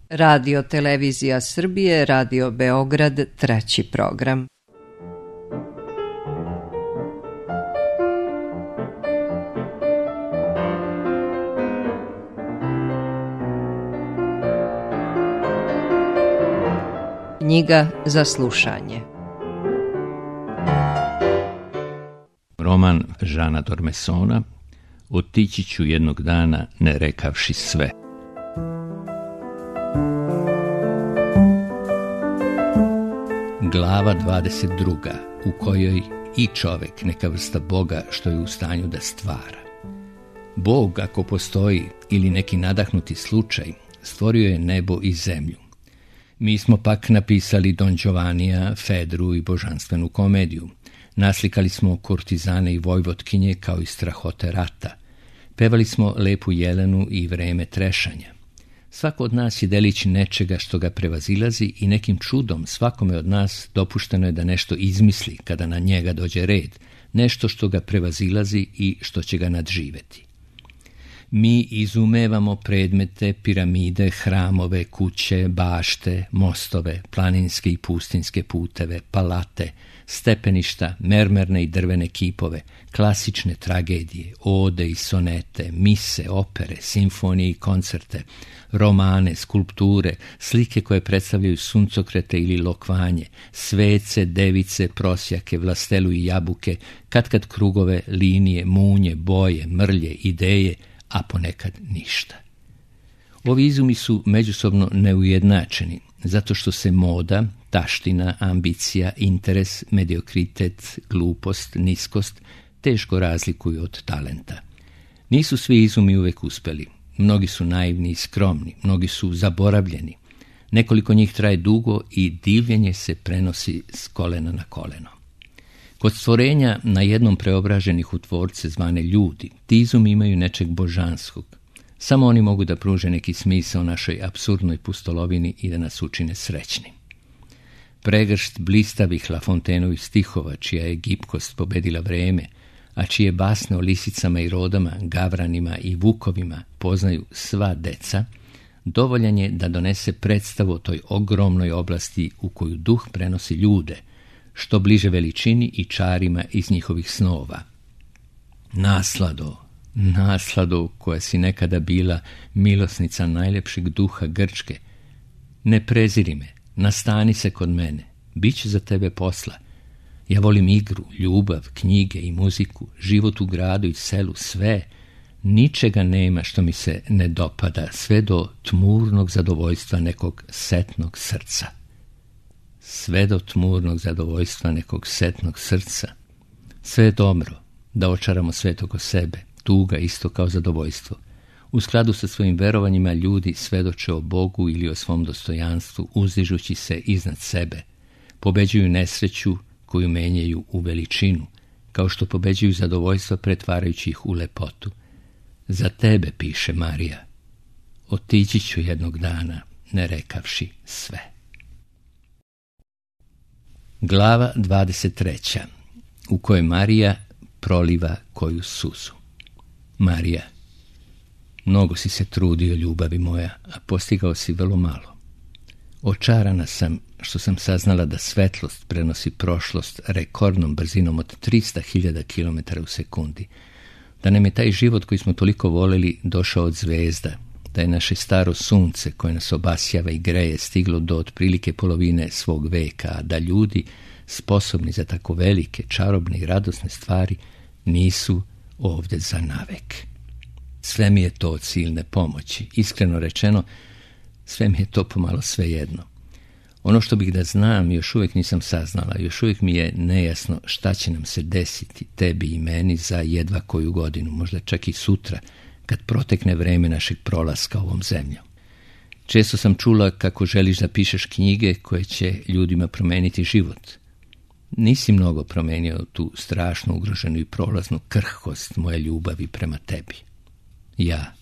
Radio Televizija Srbije, Radio Beograd, 3. program. Knjiga za slušanje. Roman Žana Dormesona Otići ću jednog dana ne rekavši sve. Glava 22. u kojoj i čovek neka vrsta Boga što je u stanju da stvara. Bog, ako postoji, ili neki nadahnuti slučaj, stvorio je nebo i zemlju. Mi smo pak napisali Don Giovannija, Fedru i božanstvenu komediju. Naslikali smo kurtizane i vojvotkinje kao i strahote rata. Pevali smo Lepu Jelenu i Vreme trešanja. Svako od nas je delić nečega što ga prevazilazi i nekim čudom svakome od nas dopušteno je da nešto izmisli kada na njega dođe red, nešto što ga prevazilazi i što će ga nadživeti. Mi izumevamo predmete, piramide, hramove, kuće, bašte, mostove, planinske i pustinske puteve, palate, stepeništa, mermerne i drvene kipove, klasične tragedije, ode i sonete, mise, opere, simfonije i koncerte, romane, skulpture, slike koje predstavljaju suncokrete ili lokvanje, svece, device, prosjake, vlastelu i jabuke, katkad krugove, linije, munje, boje, mrlje, ideje, a ponekad ništa. Ovi izumi su međusobno neujednačeni, zato što se moda, taština, ambicija, interes, mediokritet, glupost, niskost teško razlikuju od talenta. Nisu svi izumi uvek uspeli. Mnogi su naivni i skromni, mnogi su zaboravljeni. Nekoliko njih traje dugo i divljenje se prenosi s kolena na koleno. Kod stvorenja na jednom preobraženih u tvorce zvane ljudi, ti izumi imaju nečeg božanskog. Samo oni mogu da pruže neki smisao našoj apsurdnoj pustolovini i da nas učine srećnim. Pregršt blistavih Lafontenovih stihova, čija je gipkost pobedila vreme, a čije basne o lisicama i rodama, gavranima i vukovima poznaju sva deca, dovoljan je da donese predstavu o toj ogromnoj oblasti u koju duh prenosi ljude, što bliže veličini i čarima iz njihovih snova. Naslado koja si nekada bila milosnica najlepšeg duha Grčke, ne preziri me, nastani se kod mene, bit će za tebe posla. Ja volim igru, ljubav, knjige i muziku, život u gradu i selu, sve. Ničega nema što mi se ne dopada, sve do tmurnog zadovoljstva nekog setnog srca. Sve do tmurnog zadovoljstva nekog setnog srca. Sve je dobro, da očaramo svet oko sebe, tuga isto kao zadovoljstvo. U skladu sa svojim verovanjima ljudi svedoče o Bogu ili o svom dostojanstvu, uzdižući se iznad sebe. Pobeđuju nesreću koju menjaju u veličinu, kao što pobeđuju zadovoljstva pretvarajući ih u lepotu. Za tebe, piše Marija, otići ću jednog dana, ne rekavši sve. Glava 23. u kojoj Marija proliva koju suzu. Marija, mnogo si se trudio, ljubavi moja, a postigao si vrlo malo. Očarana sam što sam saznala da svetlost prenosi prošlost rekordnom brzinom od 300.000 km u sekundi, da nam je taj život koji smo toliko voleli došao od zvezda, da je naše staro sunce koje nas obasjava i greje stiglo do otprilike polovine svog veka, a da ljudi sposobni za tako velike, čarobne i radosne stvari nisu ovdje za navek. Sve mi je to od silne pomoći. Iskreno rečeno, sve mi je to pomalo svejedno. Ono što bih da znam još uvijek nisam saznala, još uvijek mi je nejasno šta će nam se desiti, tebi i meni, za jedva koju godinu, možda čak i sutra, kad protekne vreme našeg prolaska ovom zemljom. Često sam čula kako želiš da pišeš knjige koje će ljudima promeniti život. Nisi mnogo promenio tu strašnu, ugroženu i prolaznu krhkost moje ljubavi prema tebi. Ja.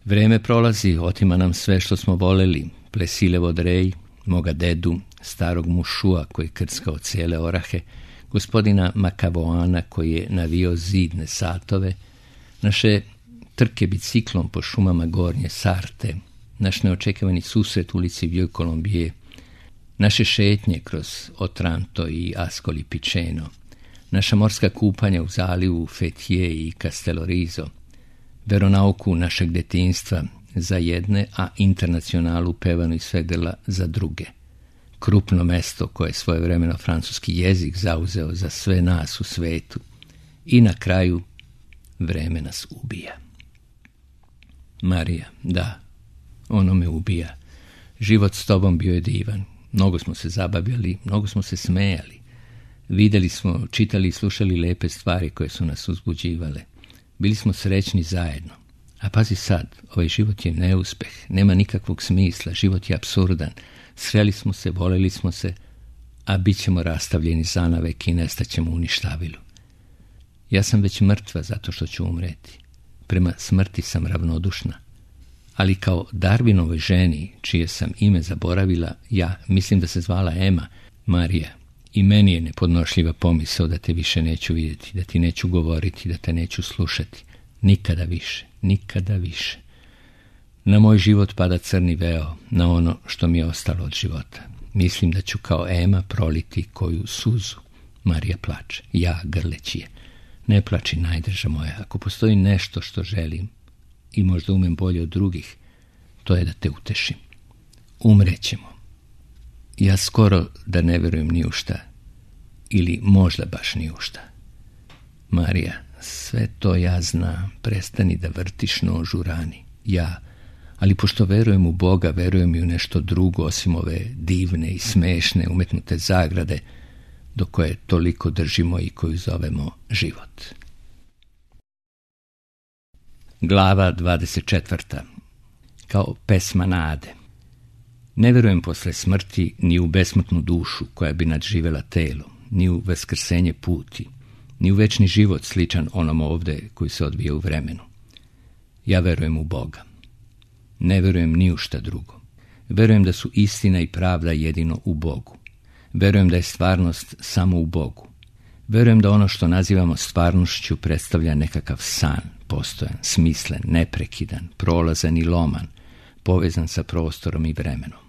Vreme prolazi, otima nam sve što smo voleli, Plesilevo drej, moga dedu, starog mušua koji krckao cijele orahe, gospodina Makavoana koji je navio zidne satove, naše trke biciklom po šumama Gornje Sarte, naš neočekivani susret u ulici Vieux Colombier, naše šetnje kroz Otranto i Ascoli Piceno, naša morska kupanja u zalivu Fethiye i Castellorizo, veronauku našeg detinjstva za jedne, a internacionalu pevanu iz Fedela za druge. Krupno mesto koje je svojevremeno francuski jezik zauzeo za sve nas u svetu. I na kraju vreme nas ubija. Marija, da, ono me ubija. Život s tobom bio je divan. Mnogo smo se zabavljali, mnogo smo se smejali. Vidjeli smo, čitali i slušali lepe stvari koje su nas uzbuđivale. Bili smo srećni zajedno. A pazi sad, ovaj život je neuspeh, nema nikakvog smisla, život je apsurdan. Sreli smo se, voleli smo se, a bit ćemo rastavljeni zanavek i nestaćemo u ništavilu. Ja sam već mrtva zato što ću umreti. Prema smrti sam ravnodušna. Ali kao Darwinovoj ženi, čije sam ime zaboravila, ja mislim da se zvala Ema, Marija, i meni je nepodnošljiva pomisao da te više neću vidjeti, da ti neću govoriti, da te neću slušati. Nikada više, nikada više. Na moj život pada crni veo, na ono što mi je ostalo od života. Mislim da ću kao Ema proliti koju suzu. Marija plače, ja grleći je. Ne plači, najdrža moja, ako postoji nešto što želim i možda umem bolje od drugih, to je da te utešim. Umrećemo. Ja skoro da ne verujem ni u šta, ili možda baš ni u šta. Marija, sve to ja znam, prestani da vrtiš nož u rani. Ja, ali pošto verujem u Boga, verujem i u nešto drugo osim ove divne i smešne umetnute zagrade do koje toliko držimo i koju zovemo život. Glava 24. Kao pesma nade. Ne verujem posle smrti ni u besmrtnu dušu koja bi nadživela telo, ni u vaskrsenje puti, ni u večni život sličan onom ovde koji se odvija u vremenu. Ja verujem u Boga. Ne verujem ni u šta drugo. Verujem da su istina i pravda jedino u Bogu. Verujem da je stvarnost samo u Bogu. Verujem da ono što nazivamo stvarnošću predstavlja nekakav san, postojan, smislen, neprekidan, prolazan i loman, povezan sa prostorom i vremenom.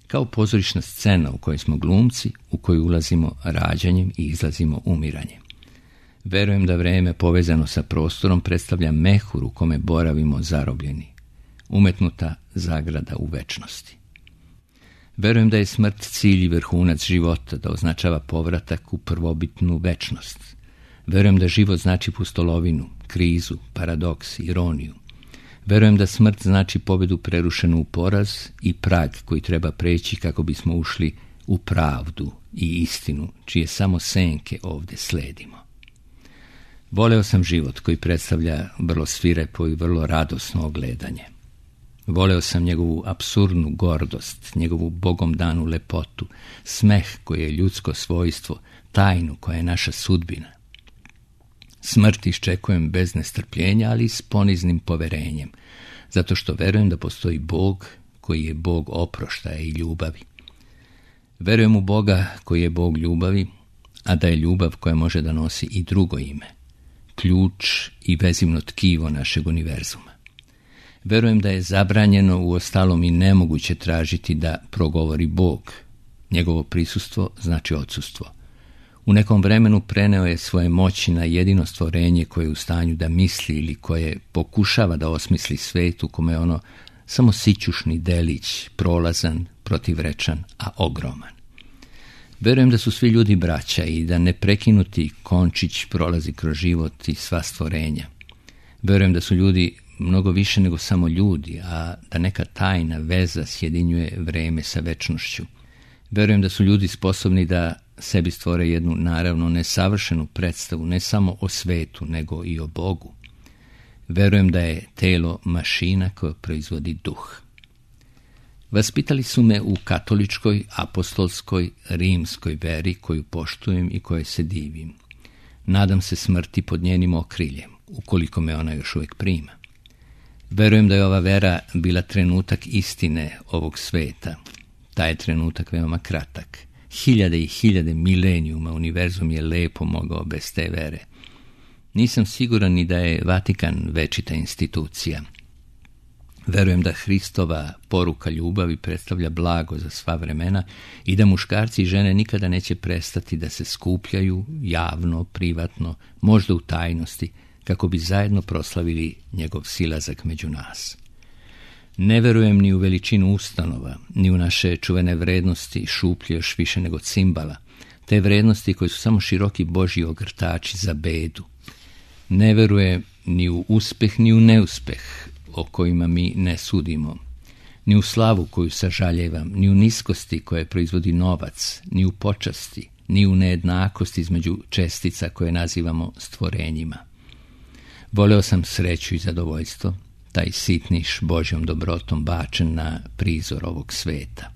Kao pozorišna scena u kojoj smo glumci, u koju ulazimo rađanjem i izlazimo umiranjem. Verujem da vreme povezano sa prostorom predstavlja mehur u kome boravimo zarobljeni, umetnuta zagrada u večnosti. Verujem da je smrt cilj i vrhunac života, da označava povratak u prvobitnu večnost. Verujem da život znači pustolovinu, krizu, paradoks, ironiju. Verujem da smrt znači pobedu prerušenu u poraz i prag koji treba preći kako bismo ušli u pravdu i istinu, čije samo senke ovde sledimo. Voleo sam život koji predstavlja vrlo svirepo i vrlo radosno ogledanje. Voleo sam njegovu apsurdnu gordost, njegovu bogom danu lepotu, smeh koji je ljudsko svojstvo, tajnu koja je naša sudbina. Smrt iščekujem bez nestrpljenja, ali s poniznim poverenjem, zato što verujem da postoji Bog koji je Bog oproštaja i ljubavi. Verujem u Boga koji je Bog ljubavi, a da je ljubav koja može da nosi i drugo ime, ključ i vezivno tkivo našeg univerzuma. Verujem da je zabranjeno, uostalom i nemoguće tražiti da progovori Bog. Njegovo prisustvo znači odsustvo. U nekom vremenu preneo je svoje moći na jedino stvorenje koje je u stanju da misli ili koje pokušava da osmisli svet u kome je ono samo sićušni delić, prolazan, protivrečan, a ogroman. Verujem da su svi ljudi braća i da neprekinuti končić prolazi kroz život i sva stvorenja. Verujem da su ljudi mnogo više nego samo ljudi, a da neka tajna veza sjedinjuje vreme sa večnošću. Verujem da su ljudi sposobni da sebi stvore jednu naravno nesavršenu predstavu ne samo o svetu, nego i o Bogu. Verujem da je telo mašina koja proizvodi duh. Vaspitali su me u katoličkoj, apostolskoj, rimskoj veri koju poštujem i kojoj se divim. Nadam se smrti pod njenim okriljem, ukoliko me ona još uvijek prima. Verujem da je ova vera bila trenutak istine ovog sveta. Taj je trenutak veoma kratak. Hiljade i hiljade milenijuma univerzum je lepo mogao bez te vere. Nisam siguran ni da je Vatikan večita institucija. Verujem da Hristova poruka ljubavi predstavlja blago za sva vremena i da muškarci i žene nikada neće prestati da se skupljaju javno, privatno, možda u tajnosti, kako bi zajedno proslavili njegov silazak među nas. Ne verujem ni u veličinu ustanova, ni u naše čuvene vrednosti, šuplje još više nego cimbala, te vrednosti koje su samo široki božji ogrtači za bedu. Ne verujem ni u uspeh, ni u neuspeh, o kojima mi ne sudimo, ni u slavu koju sažaljevam, ni u niskosti koje proizvodi novac, ni u počasti, ni u nejednakosti između čestica koje nazivamo stvorenjima. Voleo sam sreću i zadovoljstvo, taj sitniš Božjom dobrotom bačen na prizor ovog sveta.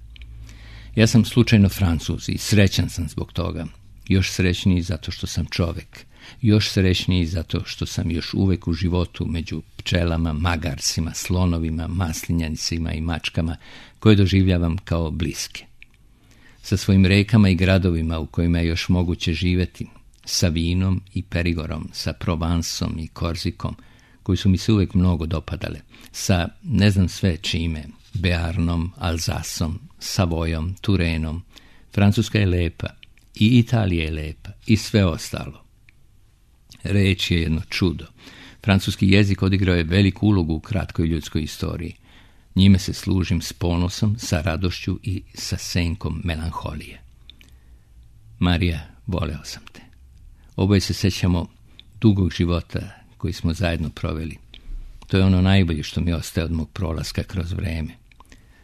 Ja sam slučajno Francuz i srećan sam zbog toga, još srećniji zato što sam čovek, još srećniji zato što sam još uvek u životu među pčelama, magarsima, slonovima, maslinjanicima i mačkama koje doživljavam kao bliske. Sa svojim rekama i gradovima u kojima je još moguće živjeti, sa vinom i Perigorom, sa Provansom i Korzikom, koji su mi se uvek mnogo dopadale, sa ne znam sve čime, Bearnom, Alzasom, Savojom, Turenom. Francuska je lepa i Italija je lepa i sve ostalo. Reč je jedno čudo. Francuski jezik odigrao je veliku ulogu u kratkoj ljudskoj istoriji. Njime se služim s ponosom, sa radošću i sa senkom melanholije. Marija, voleo sam te. Oboje se sećamo dugog života koji smo zajedno proveli. To je ono najbolje što mi ostaje od mog prolaska kroz vreme.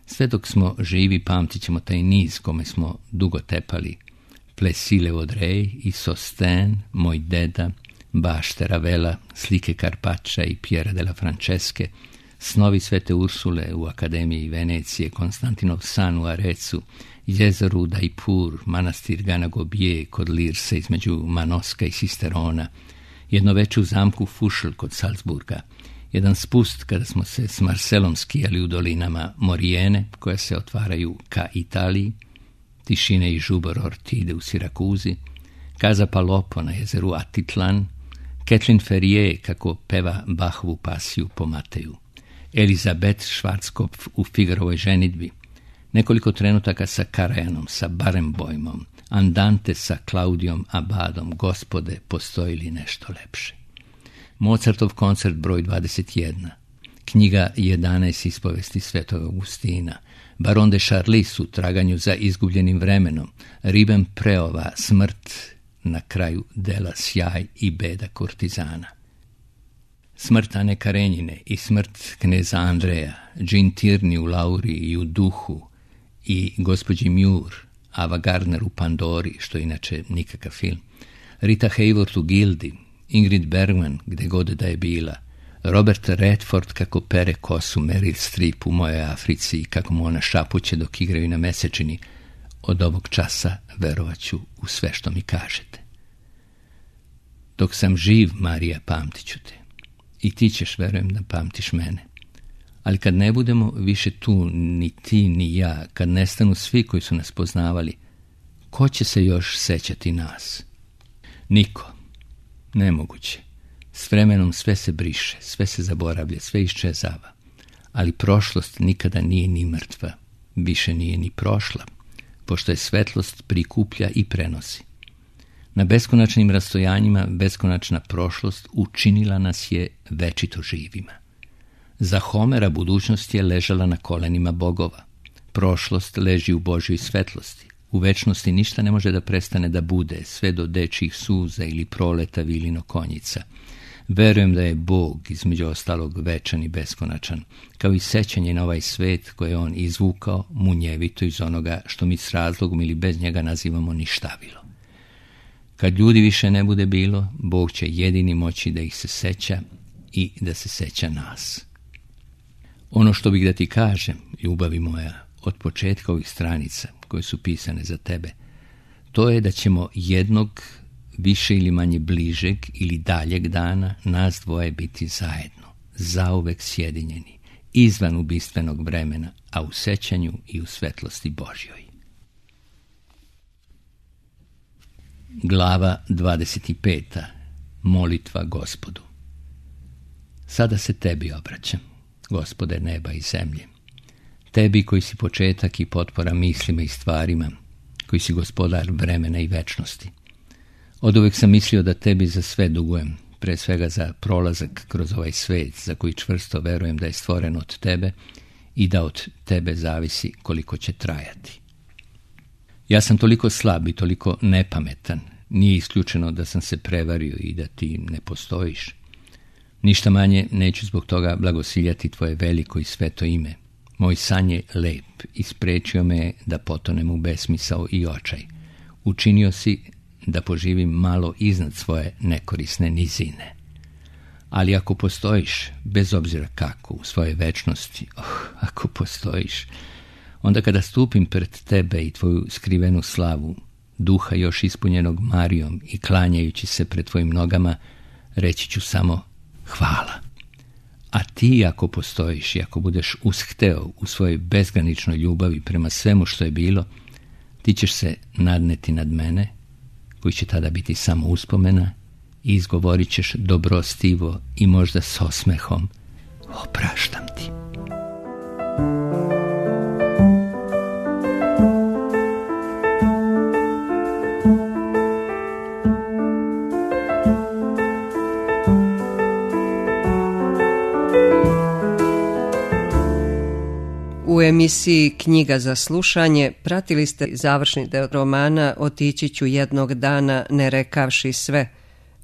Sve dok smo živi pamtit ćemo taj niz kome smo dugo tepali. Plesile Vaudreuil i Sostin, moj deda, bašte Ravela, slike Carpaccia i Piera della Francesche, snovi Svete Ursule u Akademiji Venecije, Konstantinov san u Arecu, jezero u Daipur, manastir Ganagobije kod Lirse između Manoska i Sisterona, jedno veče u zamku Fušl kod Salzburga, jedan spust kada smo se s Marcelom skijali u dolinama Morijene, koja se otvaraju ka Italiji, tišine i žubor Ortide u Sirakuzi, Casa Palopo na jezeru Atitlan, Kathleen Ferrier kako peva Bachovu pasiju po Mateju, Elizabeth Schwarzkopf u Figarovoj ženidbi, nekoliko trenutaka sa Karajanom, sa Barenboimom, Andante sa Klaudijom Abadom, Gospode, postoji li nešto lepše. Mozartov koncert broj 21, knjiga 11 ispovesti Svetog Augustina, Baron de Charlis u traganju za izgubljenim vremenom, Ribbenpreova smrt na kraju dela Sjaj i beda kurtizana. Smrt Ane Karenjine i smrt kneza Andreja, Jean Tierney u Lauri i u Duhu i gospođi Muir, Ava Gardner u Pandori, što je inače nikakav film, Rita Hayworth u Gildi, Ingrid Bergman gde god da je bila, Robert Redford kako pere kosu Meryl Streep u Mojoj Africi i kako mu ona šapuće dok igraju na mesečini, od ovog časa verovaću u sve što mi kažete. Dok sam živ, Marija, pamtit ću te. I ti ćeš, verujem, da pamtiš mene. Ali kad ne budemo više tu, ni ti, ni ja, kad nestanu svi koji su nas poznavali, ko će se još sećati nas? Niko. Nemoguće. S vremenom sve se briše, sve se zaboravlja, sve iščezava. Ali prošlost nikada nije ni mrtva, više nije ni prošla, pošto je svetlost prikuplja i prenosi. Na beskonačnim rastojanjima beskonačna prošlost učinila nas je večito živima. Za Homera budućnost je ležala na kolenima bogova. Prošlost leži u Božjoj svetlosti. U večnosti ništa ne može da prestane da bude, sve do dečjih suza ili proleta vilino konjica. Verujem da je Bog, između ostalog, večan i beskonačan, kao i sećanje na ovaj svet koje je on izvukao munjevito iz onoga što mi s razlogom ili bez njega nazivamo ništavilo. Kad ljudi više ne bude bilo, Bog će jedini moći da ih se seća i da se seća nas. Ono što bih da ti kažem, ljubavi moja, od početka ovih stranica koje su pisane za tebe, to je da ćemo jednog više ili manje bližeg ili daljeg dana nas dvoje biti zajedno, zauvek sjedinjeni, izvan ubistvenog vremena, a u sećanju i u svetlosti Božjoj. Glava 25. Molitva Gospodu. Sada se tebi obraćam. Gospode neba i zemlje. Tebi koji si početak i potpora mislima i stvarima, koji si gospodar vremena i večnosti. Oduvek sam mislio da tebi za sve dugujem, pre svega za prolazak kroz ovaj svet za koji čvrsto verujem da je stvoren od tebe i da od tebe zavisi koliko će trajati. Ja sam toliko slab i toliko nepametan, nije isključeno da sam se prevario i da ti ne postojiš. Ništa manje neću zbog toga blagosiljati tvoje veliko i sveto ime. Moj san je lep i sprečio me da potonem u besmisao i očaj. Učinio si da poživim malo iznad svoje nekorisne nizine. Ali ako postojiš, bez obzira kako, u svojoj večnosti, ako postojiš, onda kada stupim pred tebe i tvoju skrivenu slavu, duha još ispunjenog Marijom i klanjajući se pred tvojim nogama, reći ću samo hvala. A ti ako postojiš i ako budeš ushteo u svojoj bezgraničnoj ljubavi prema svemu što je bilo, ti ćeš se nadneti nad mene, koji će tada biti samo uspomena, i izgovorit ćeš dobrostivo i možda s osmehom: opraštam ti. U emisiji Knjiga za slušanje pratili ste završni deo romana Otići ću jednog dana ne rekavši sve,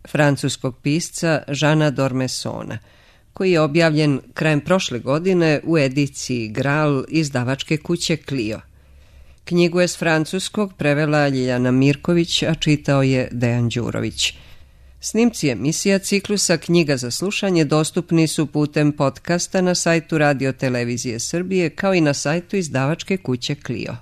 francuskog pisca Jeana d'Ormessona, koji je objavljen krajem prošle godine u ediciji Graal izdavačke kuće Clio. Knjigu je s francuskog prevela Ljiljana Mirković, a čitao je Dejan Đurović. Snimci emisija ciklusa Knjiga za slušanje dostupni su putem podcasta na sajtu Radio Televizije Srbije kao i na sajtu izdavačke kuće Clio.